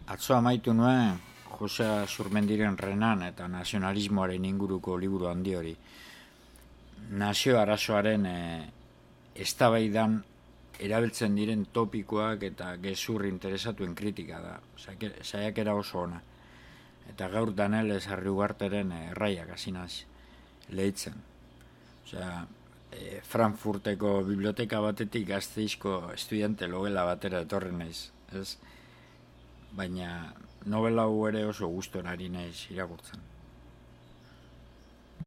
Atzo amaitu nuen Jose Zurmendiren Renan eta nazionalismoaren inguruko liburu handi hori. Nazio arazoaren eztabaidan erabiltzen diren topikoak eta gezur interesatuen kritika da. Saiakera oso ona. Eta gaur Danel Sarri Ugarteren erraiak hasi naiz lehitzen. Frankfurteko biblioteka batetik Gasteizko estudiante logela batera etorri naiz, ez? Baina novela hau ere oso gustora ari naiz irakurtzen.